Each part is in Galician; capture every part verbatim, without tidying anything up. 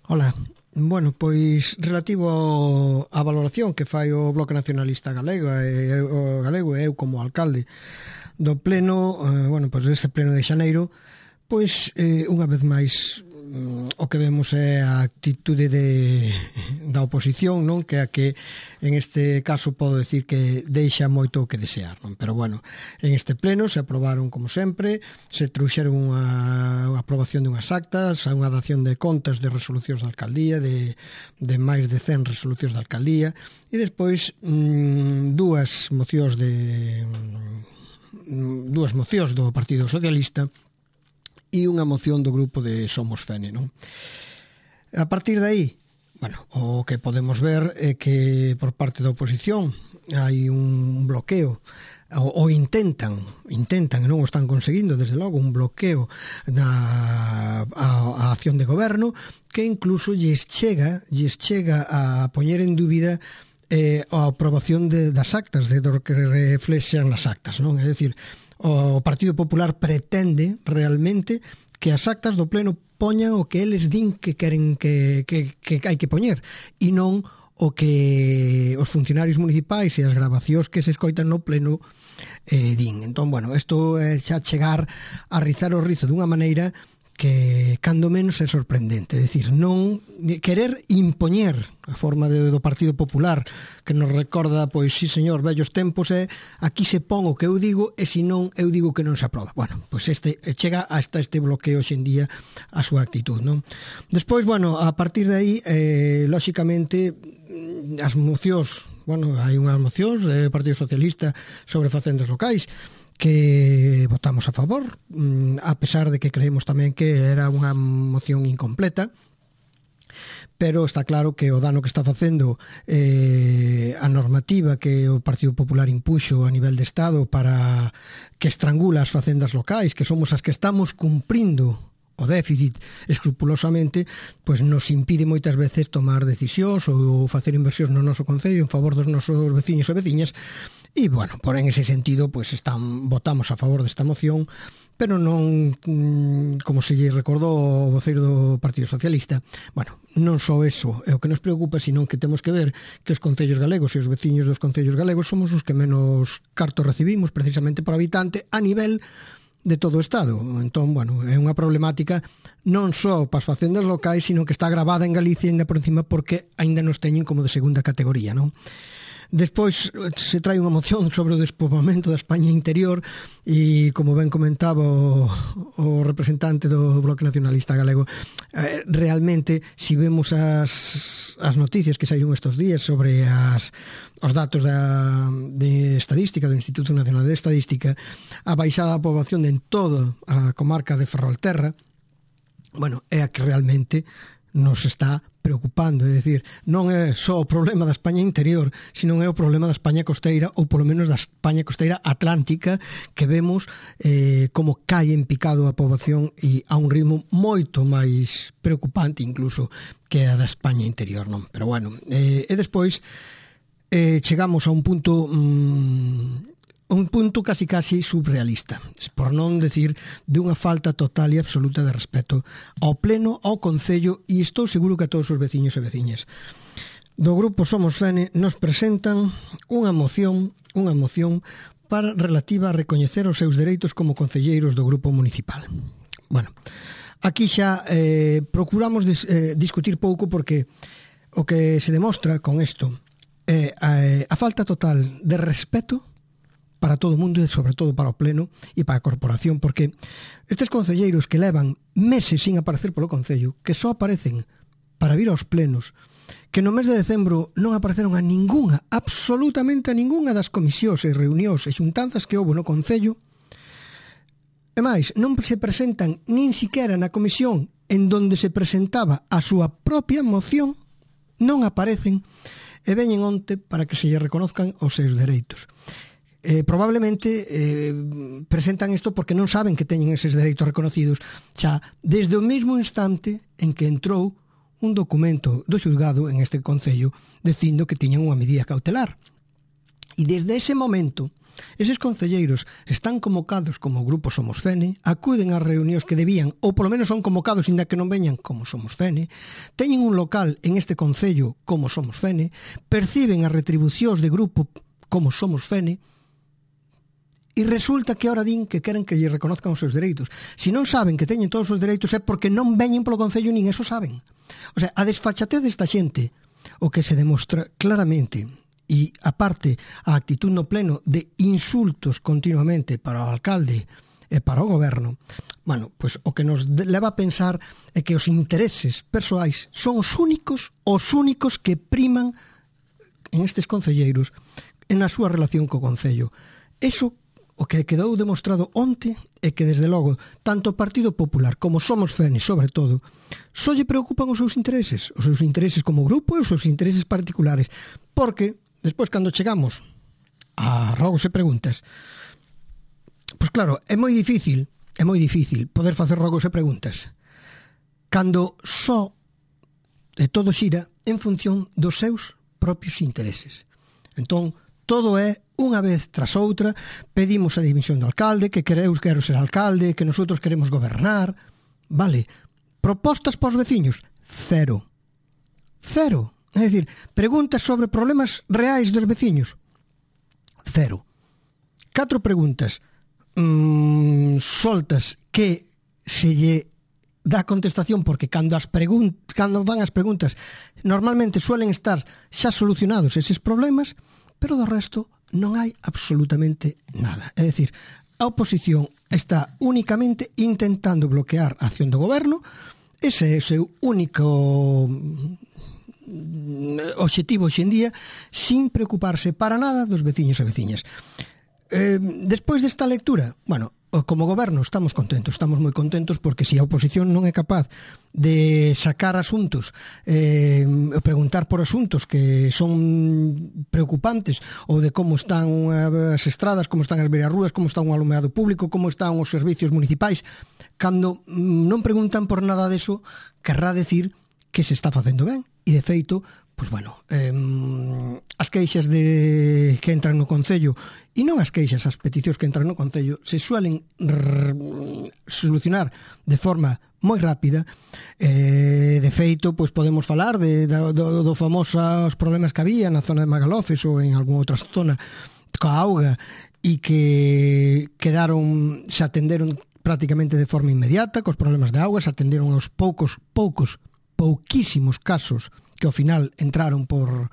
Ola, bueno, pois relativo ao, á valoración que fai o Bloque Nacionalista Galego e o galego e eu como alcalde do pleno, eh, bueno, pois deste pleno de xaneiro, pois eh, unha vez máis o que vemos é a actitude de, da oposición, non? Que a que en este caso podo decir que deixa moito o que desear, non? Pero bueno, en este pleno se aprobaron como sempre, se trouxeron unha, unha aprobación de unhas actas, unha dación de contas de resolucións da alcaldía, de, de máis de cen resolucións da alcaldía, e despois mmm, dúas mocións de mmm, dúas mocións do Partido Socialista e unha moción do grupo de Somos Fene, non? A partir de aí, bueno, o que podemos ver é que por parte da oposición hai un bloqueo o, o intentan, intentan e non o están conseguindo, desde logo, un bloqueo da a, a acción de goberno que incluso lles chega, lles chega a poñer en dúbida eh, a aprobación de, das actas, de do que reflexan nas actas, non? É dicir, o Partido Popular pretende realmente que as actas do pleno poñan o que eles din que queren que, que, que hai que poñer e non o que os funcionarios municipais e as grabacións que se escoitan no pleno eh, din. Entón, bueno, isto é xa chegar a rizar o rizo dunha maneira que cando menos é sorprendente, é dicir, non querer impoñer a forma de, do Partido Popular que nos recorda, pois, sí señor, vellos tempos, é aquí se pon o que eu digo e se non eu digo que non se aproba. Bueno, pois este chega hasta este bloqueo hoxe en día a súa actitud, non? Despois, bueno, a partir de aí, eh, lóxicamente, as mocións, bueno, hai unhas mocións do Partido Socialista sobre facendas locais que votamos a favor, a pesar de que creemos tamén que era unha moción incompleta, pero está claro que o dano que está facendo eh, a normativa que o Partido Popular impuxo a nivel de Estado para que estrangula as facendas locais, que somos as que estamos cumprindo o déficit escrupulosamente, pois nos impide moitas veces tomar decisións ou facer inversións no noso concello en favor dos nosos veciños e veciñas. E, bueno, por en ese sentido, pois están, votamos a favor desta moción, pero non, como se lle recordou o voceiro do Partido Socialista, bueno, non só eso é o que nos preocupa, sino que temos que ver que os concellos galegos e os veciños dos concellos galegos somos os que menos cartos recibimos precisamente por habitante a nivel de todo o Estado. Entón, bueno, é unha problemática non só para as facendas locais, sino que está gravada en Galicia ainda por encima porque aínda nos teñen como de segunda categoría, non? Despois se trae unha moción sobre o despoboamento da España interior e, como ben comentaba o, o representante do Bloque Nacionalista Galego, eh, realmente, se si vemos as, as noticias que saíron estes días sobre as, os datos da, de estadística do Instituto Nacional de Estadística, a baixada da poboación en toda a comarca de Ferrolterra, bueno, é a que realmente nos está preocupando, é dicir, non é só o problema da España interior, sino é o problema da España costeira, ou polo menos da España costeira atlántica, que vemos eh, como cae en picado a poboación e a un ritmo moito máis preocupante incluso que a da España interior, non? Pero bueno, eh, e despois eh, chegamos a un punto mmm, un punto casi casi surrealista, por non decir de unha falta total e absoluta de respeto ao pleno, ao concello e estou seguro que a todos os veciños e veciñas. Do grupo Somos Fene nos presentan unha moción, unha moción para relativa a recoñecer os seus dereitos como concelleiros do grupo municipal. Bueno, aquí xa eh, procuramos dis, eh, discutir pouco porque o que se demostra con isto é eh, a falta total de respeto para todo o mundo e sobre todo para o pleno e para a corporación, porque estes concelleiros que levan meses sin aparecer polo concello, que só aparecen para vir aos plenos, que no mes de decembro non apareceron a ningunha, absolutamente a ningunha das comisións e reunións e xuntanzas que houve no concello, e máis, non se presentan nin siquiera na comisión en donde se presentaba a súa propia moción, non aparecen e veñen onte para que se lle reconozcan os seus dereitos. Eh, probablemente eh, presentan isto porque non saben que teñen eses dereitos reconocidos xa desde o mesmo instante en que entrou un documento do xulgado en este concello dicindo que tiñan unha medida cautelar. E desde ese momento Eses concelleiros están convocados como grupo Somos Fene, acuden ás reunións que debían, ou polo menos son convocados inda que non veñan como Somos Fene, teñen un local en este concello como Somos Fene, perciben as retribucións de grupo como Somos Fene, e resulta que ahora din que queren que lle reconozcan os seus dereitos. Se non saben que teñen todos os dereitos é porque non veñen polo Concello nin eso saben. O sea, a desfachatez desta xente, o que se demostra claramente, e aparte a actitud no pleno de insultos continuamente para o alcalde e para o goberno, bueno, pois o que nos leva a pensar é que os intereses persoais son os únicos, os únicos que priman en estes concelleiros en a súa relación co Concello. Eso o que quedou demostrado onte é que, desde logo, tanto o Partido Popular como Somos Fene, sobre todo, só lle preocupan os seus intereses, os seus intereses como grupo e os seus intereses particulares, porque, despois, cando chegamos a rogos e preguntas, pois claro, é moi difícil, é moi difícil poder facer rogos e preguntas cando só de todo xira en función dos seus propios intereses. Entón, todo é unha vez tras outra, pedimos a dimisión do alcalde, que queremos quero ser alcalde, que nosotros queremos gobernar. Vale, propostas para os veciños, cero. Cero. É dicir, preguntas sobre problemas reais dos veciños, cero. Catro preguntas mmm, soltas que se lle dá contestación, porque cando as pregun- cando van as preguntas normalmente suelen estar xa solucionados eses problemas, pero do resto non hai absolutamente nada. É dicir, a oposición está únicamente intentando bloquear a acción do goberno. Ese é o seu único obxectivo hoxe en día, sin preocuparse para nada dos veciños e veciñas. Eh, despois desta lectura, bueno, como goberno estamos contentos, estamos moi contentos, porque se a oposición non é capaz de sacar asuntos, eh, preguntar por asuntos que son preocupantes, ou de como están as estradas, como están as beirarrúas, como está un alumeado público, como están os servicios municipais, cando non preguntan por nada deso, querrá decir que se está facendo ben. E, de feito, pois bueno, eh, as queixas de que entran no Concello, e non as queixas, as peticións que entran no Concello, se suelen r- solucionar de forma moi rápida. Eh, de feito, pois podemos falar de, do, do, do famosos problemas que había na zona de Magalofes ou en algunha outra zona coa auga, e que quedaron, se atenderon prácticamente de forma inmediata cos problemas de auga, se atenderon aos poucos, poucos, pouquísimos casos que ao final entraron por,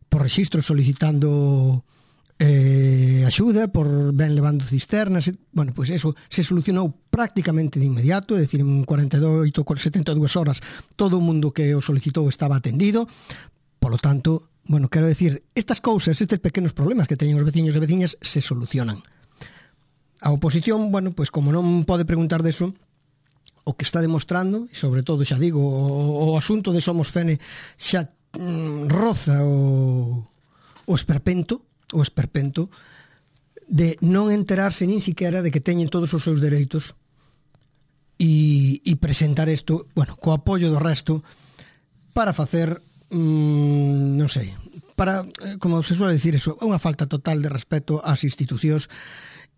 por rexistro solicitando eh, axuda, por ben levando cisternas. Bueno, pois eso se solucionou prácticamente de inmediato, é dicir, en cuarenta e oito, setenta e dúas horas todo o mundo que o solicitou estaba atendido. Polo tanto, bueno, quero decir, estas cousas, estes pequenos problemas que teñen os veciños e veciñas se solucionan. A oposición, bueno, pois como non pode preguntar deso, o que está demostrando, e sobre todo, xa digo, o, o asunto de Somos Fene xa mm, roza o, o esperpento, o esperpento de non enterarse nin siquiera de que teñen todos os seus dereitos, e, e presentar isto, bueno, co apoio do resto, para facer, mm, non sei, para, como se suele decir eso, unha falta total de respeto ás institucións.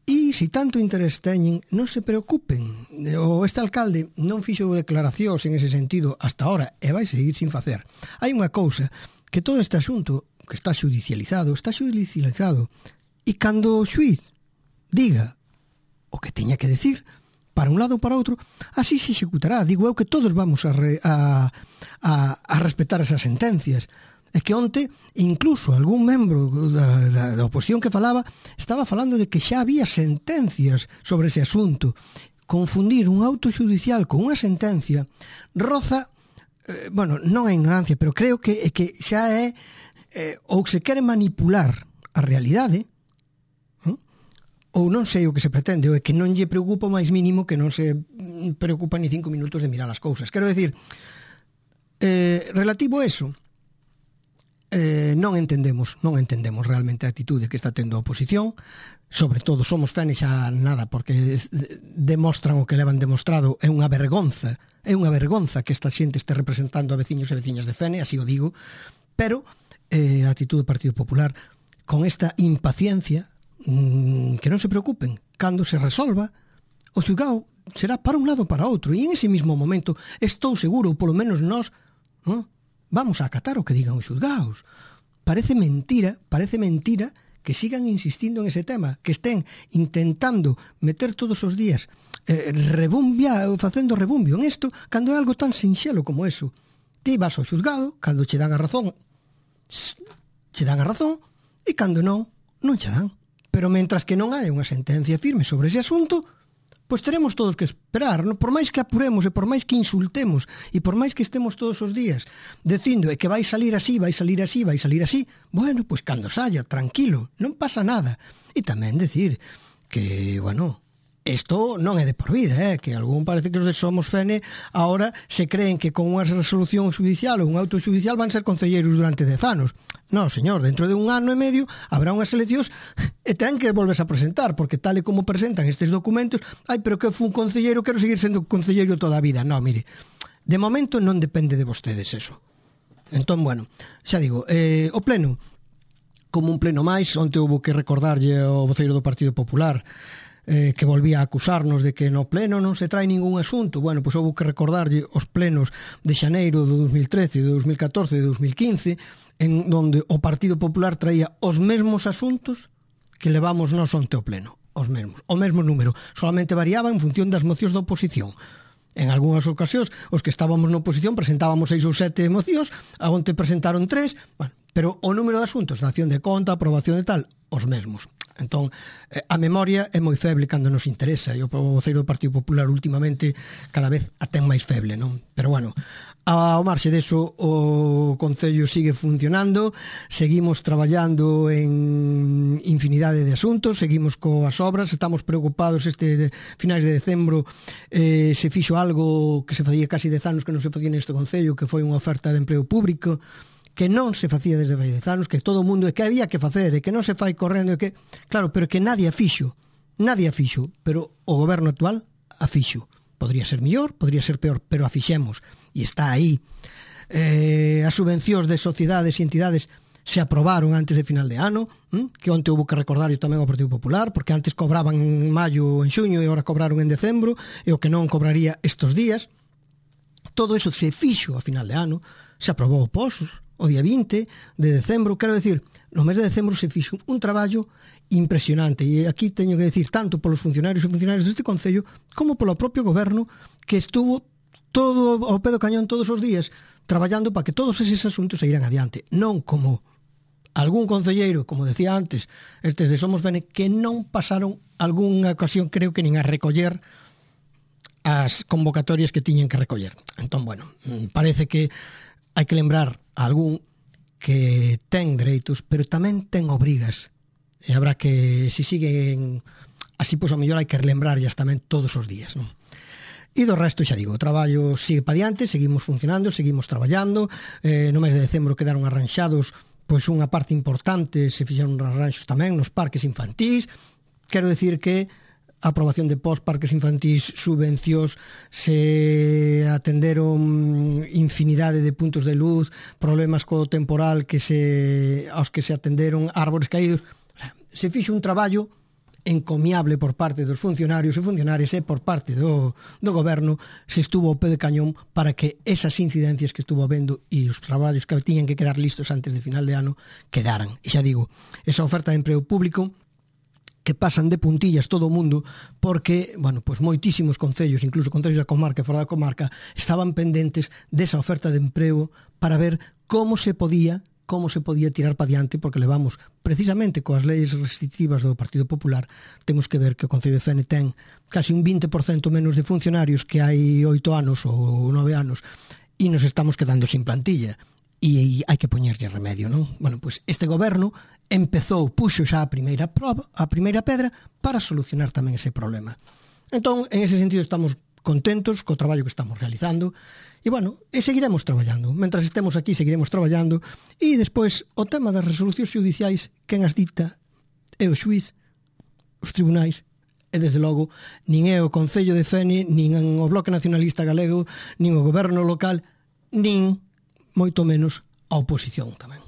E se tanto interés teñen, non se preocupen. O este alcalde non fixo declaracións en ese sentido hasta ahora, e vai seguir sin facer. Hai unha cousa, que todo este asunto que está xudicializado, está xudicializado, e cando o xuiz diga o que teña que decir, para un lado ou para outro, así se executará. Digo eu que todos vamos a, re, a, a, a respetar esas sentencias. É que onte, incluso algún membro da, da, da oposición que falaba, estaba falando de que xa había sentencias sobre ese asunto. Confundir un auto xudicial con unha sentencia roza, eh, bueno, non é ignorancia, pero creo que, que xa é, eh, ou se quere manipular a realidade, eh? Ou non sei o que se pretende, ou é que non lle preocupa o máis mínimo, que non se preocupa ni cinco minutos de mirar as cousas. Quero decir, eh, relativo a eso, Eh, non entendemos non entendemos realmente a atitude que está tendo a oposición, sobre todo Somos Fene xa nada, porque demostran o que levan demostrado. É unha vergonza, é unha vergonza que esta xente este representando a veciños e veciñas de Fene, así o digo, pero eh, a atitude do Partido Popular, con esta impaciencia, mm, que non se preocupen, cando se resolva, o xulgado será para un lado ou para outro, e en ese mismo momento estou seguro, ou polo menos nós, ¿no?, vamos a acatar o que digan os xulgados. Parece mentira, parece mentira que sigan insistindo en ese tema, que estén intentando meter todos os días eh, rebumbia, facendo rebumbio en isto, cando é algo tan sinxelo como eso. Ti vas ao xulgado, cando che dan a razón, che dan a razón, e cando non, non che dan. Pero mentras que non hai unha sentencia firme sobre ese asunto, pois teremos todos que esperar, no? Por máis que apuremos e por máis que insultemos e por máis que estemos todos os días dicindo que vai salir así, vai salir así, vai salir así, bueno, pois cando saia, tranquilo, non pasa nada. E tamén decir que, bueno, isto non é de por vida, eh? Que algún parece que os de Somos Fene ahora se creen que con unha resolución judicial ou un auto judicial van ser concelleiros durante dez anos. Non, señor, dentro de un ano e medio habrá unhas eleccións e ten que volverse a presentar, porque tal e como presentan estes documentos, ai, pero que fun concelleiro, quero seguir sendo concelleiro toda a vida. Non, mire, de momento non depende de vostedes eso. Entón, bueno, xa digo, eh, o pleno, como un pleno máis, onte houve que recordarlle ao voceiro do Partido Popular eh, que volvía a acusarnos de que no pleno non se trae ningún asunto. Bueno, pois houve que recordarlle os plenos de xaneiro de dos mil trece, de dos mil catorce e de dos mil quince, en donde o Partido Popular traía os mesmos asuntos que levamos nós onte ao pleno, os mesmos, o mesmo número, solamente variaba en función das mocións da oposición. En algunhas ocasións, os que estábamos na oposición presentábamos seis ou sete mocións, a onte presentaron tres, bueno, pero o número de asuntos, da acción de conta, aprobación e tal, os mesmos. Entón, a memoria é moi feble cando nos interesa, e o voceiro do Partido Popular últimamente cada vez a ten máis feble, non? Pero bueno, ao marxe deso, o Concello sigue funcionando, seguimos traballando en infinidade de asuntos, seguimos coas obras, estamos preocupados. Este de finais de decembro eh, se fixo algo que se facía casi dez anos que non se facía neste Concello, que foi unha oferta de emprego público, que non se facía desde vai dez anos, que todo o mundo, e que había que facer, e que non se fai correndo, e que, claro, pero que nadie a fixo, nadie a fixo, pero o goberno actual a fixo. Podría ser mellor, podría ser peor, pero a fixemos, e está aí. Eh, as subvencións de sociedades e entidades se aprobaron antes de final de ano, hm? que onte houve que recordar tamén ao Partido Popular, porque antes cobraban en maio ou en xuño e agora cobraron en decembro, e o que non cobraría estes días. Todo eso se fixo a final de ano, se aprobou o P O S, o día vinte de decembro, quero decir, no mes de decembro se fixo un traballo impresionante, e aquí teño que decir tanto polos funcionarios e funcionarios deste Concello como polo propio goberno, que estuvo todo ao pé do cañón todos os días traballando para que todos eses asuntos se iran adiante, non como algún concelleiro, como decía antes, estes de Somos Fene, que non pasaron algunha ocasión, creo que nin a recoller as convocatorias que tiñen que recoller. Entón, bueno, parece que hai que lembrar a algún que ten dereitos, pero tamén ten obrigas. E habrá que, se siguen así, pois, a mellor hai que relembrarllas tamén todos os días, non? E do resto, xa digo, o traballo sigue pa diante, seguimos funcionando, seguimos traballando. Eh, no mes de decembro quedaron arranxados, pois, unha parte importante, se fixeron arranxos tamén nos parques infantís. Quero decir que a aprobación de pós, parques infantís, subvencións, se atenderon infinidade de puntos de luz, problemas co temporal que se aos que se atenderon, árbores caídos. O sea, se fixo un traballo encomiable por parte dos funcionarios e funcionarias, e por parte do, do goberno se estuvo ao pé de cañón para que esas incidencias que estuvo habendo e os traballos que tiñan que quedar listos antes de final de ano quedaran. E xa digo, esa oferta de emprego público que pasan de puntillas todo o mundo, porque, bueno, pois moitísimos concellos, incluso concellos da comarca e fora da comarca, estaban pendentes desa oferta de emprego para ver como se podía como se podía tirar para diante, porque levamos precisamente coas leis restrictivas do Partido Popular, temos que ver que o Concello de Fene ten casi un vinte por cento menos de funcionarios que hai oito anos ou nove anos, e nos estamos quedando sin plantilla, e hai que poñerlle remedio, non? Bueno, pois este goberno empezou, puxo xa a primeira proba, a primeira pedra para solucionar tamén ese problema. Entón, en ese sentido estamos contentos co traballo que estamos realizando, e bueno, e seguiremos traballando. Mentras estemos aquí, seguiremos traballando, e despois o tema das resolucións judiciais, quen as dicta é o xuiz, os tribunais, e desde logo nin é o Concello de Fene, nin o Bloque Nacionalista Galego, nin o goberno local, nin moito menos a oposición tamén.